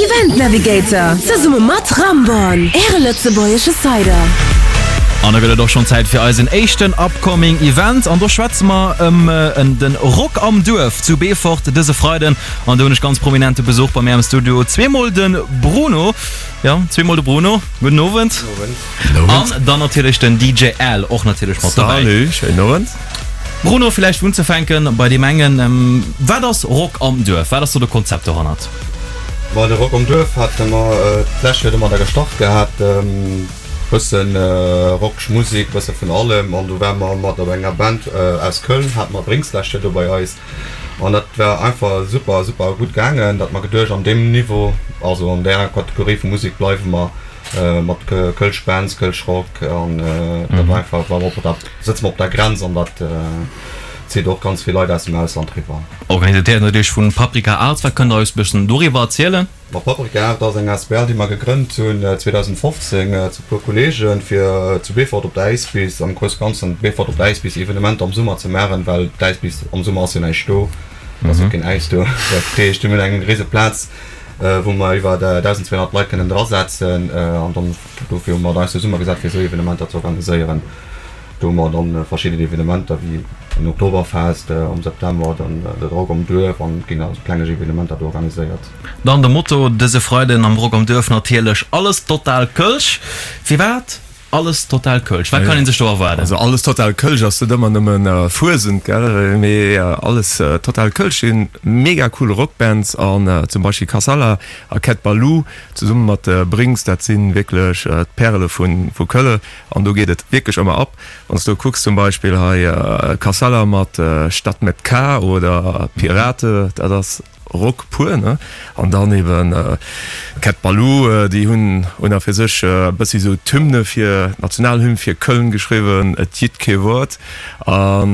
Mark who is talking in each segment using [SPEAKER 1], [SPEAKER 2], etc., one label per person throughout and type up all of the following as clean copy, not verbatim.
[SPEAKER 1] Event Navigator zesumme mat Ramborn, Äre lëtzebuergesche Cider.
[SPEAKER 2] An da gëtt et och schonn Zäit fir eisen éischten upcoming Event. An do schwätze mer ëm den Rock am Duerf zu Beefort dëse Freiden. An do hunn ech ganz prominente Besuch bei mär am Studio. Zweemol de Bruno, jo, zweemol de Bruno, gudden Owend. Gudden Owend. An dann natierlech den DJ Al och natierlech mat dobäi.
[SPEAKER 3] Salut, schéinen Owend.
[SPEAKER 2] Bruno, villäicht unzefänken bei deem engen, Wat ass Rock am Duerf? Wat ass do de Konzept dohannert?
[SPEAKER 4] Bei de Rock am Duerf hate mer d'lescht Joer domadder gestart gehat, bëssen rockeg Musek, bësse vun allem an do ware mer mat op enger Band aus Köln, hate mer Brinks d'lescht Joer do bei eis an dat war einfach super, super gutt gaangen, datt mer geduecht an deem Niveau, also an där Kategorie vu Musek bleiwe mer mat Kölsch Bands, Kölsch Rock an dat war einfach, war mer op der, sëtze mer op der Grenz an dat zitt och ganz vill Leit aus dem Ausland riwwer.
[SPEAKER 2] Organiséiert natierlech vun Paprika Arts. Wat kënnt der eis bëssen doriwwer erzielen?
[SPEAKER 4] Ma Paprika Art ass eng asbl déi mer gegrënnt hunn 2015 zu puer Kollegen fir zu Beefort op der Äiswiss, am grousse Ganzen Beefort op der Äiswiss Evenementer am Summer ze maachen, well d'Äiswiss am Summer ass jo näischt do, et ass jo keen Äis do. Dat heescht mir hunn eng rise Plaz wou mer iwwer 1.200 Leit kënnen drasetzen an dann dofir hu mer eis zesummegesat fir esou Evenementer ze organiséieren. Do hu mer dann verschidden Evenementer wéi en Oktoberfest am September, dann de Rock am Duerf an et ginn nach esou klengeg Evenementer do organiséiert.
[SPEAKER 2] Dann de Motto dëse Freiden am Rock am Duerf natierlech, Alles total Kölsch. Firwat alles total Kölsch? Wat kann een sech do erwaarden?
[SPEAKER 3] Also alles total Kölsch ass net ëmmer nëmmen Fuesent, gell, mee alles total Kölsch sinn mega cool Rockbands an zum Beispill Kassala a Cat Ballou zesumme mat Brings, dat sinn wierklech d'Pärele vu Kölle. An do geet et wierklech ëmmer ab. Wann s du kucks zum Beispill hei Kassala mat Stadt mit K oder Pirate, dat ass Rock pur, ne? An dann eben Cat Ballou, déi hunn un a fir sech e bëssi sou d'Hymne fir, d'Nationalhymn fir Köln geschriwwen, Et jitt kee Wort. An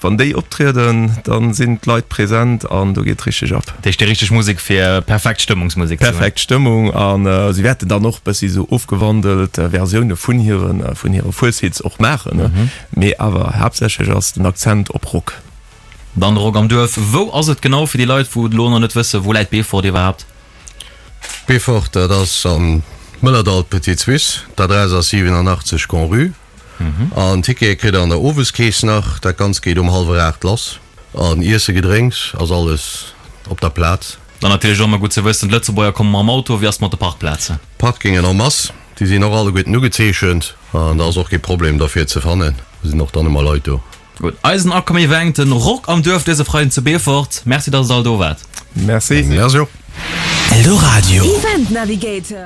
[SPEAKER 3] Wann déi optrieden, dann sinn d'Leit präsent an do geet richteg ab.
[SPEAKER 2] Dat heescht déi richteg Musek fir perfekt Stëmmungsmusek ze hunn.
[SPEAKER 3] Perfekt Stëmmung an si wäerten dann och bëssi sou ofgewandelt Versioune vun hiren vun hire Fueshits och maachen, mee awer haaptsächlech ass den Akzent op Rock.
[SPEAKER 2] Dann de Rock am Duerf, wou ass et genau fir déi Leit wou et elo nach net wëssen, wou läit Beefort iwwerhaapt?
[SPEAKER 5] Beefort, dat ass am Mëllerdall, Petite Suisse, d'Adress ass 87 Grand-Rue. An Tickete kritt der an der Oweskeess nach. Dat Ganzt geet um hallwer 8 lass. An Iesse Gedrénks ass alles op der Plaz.
[SPEAKER 2] Dann natierlech och ëmmer gutt ze wëssen, d'Lëtzebuerger komme mam Auto. Wéi ass et mat de Parkplazen?
[SPEAKER 5] Parkingen en masse, déi sinn och alleguerten ugezeechent an da ass och kee Problem derfir ze fannen. Do sinn och dann ëmmer Leit do.
[SPEAKER 2] Gutt, eisen Upcoming Event, den Rock am Duerf dëse Freiden zu Beefort. Merci, dass der all do waart.
[SPEAKER 3] Merci.
[SPEAKER 5] Merci och.
[SPEAKER 1] Eldoradio. Event Navigator.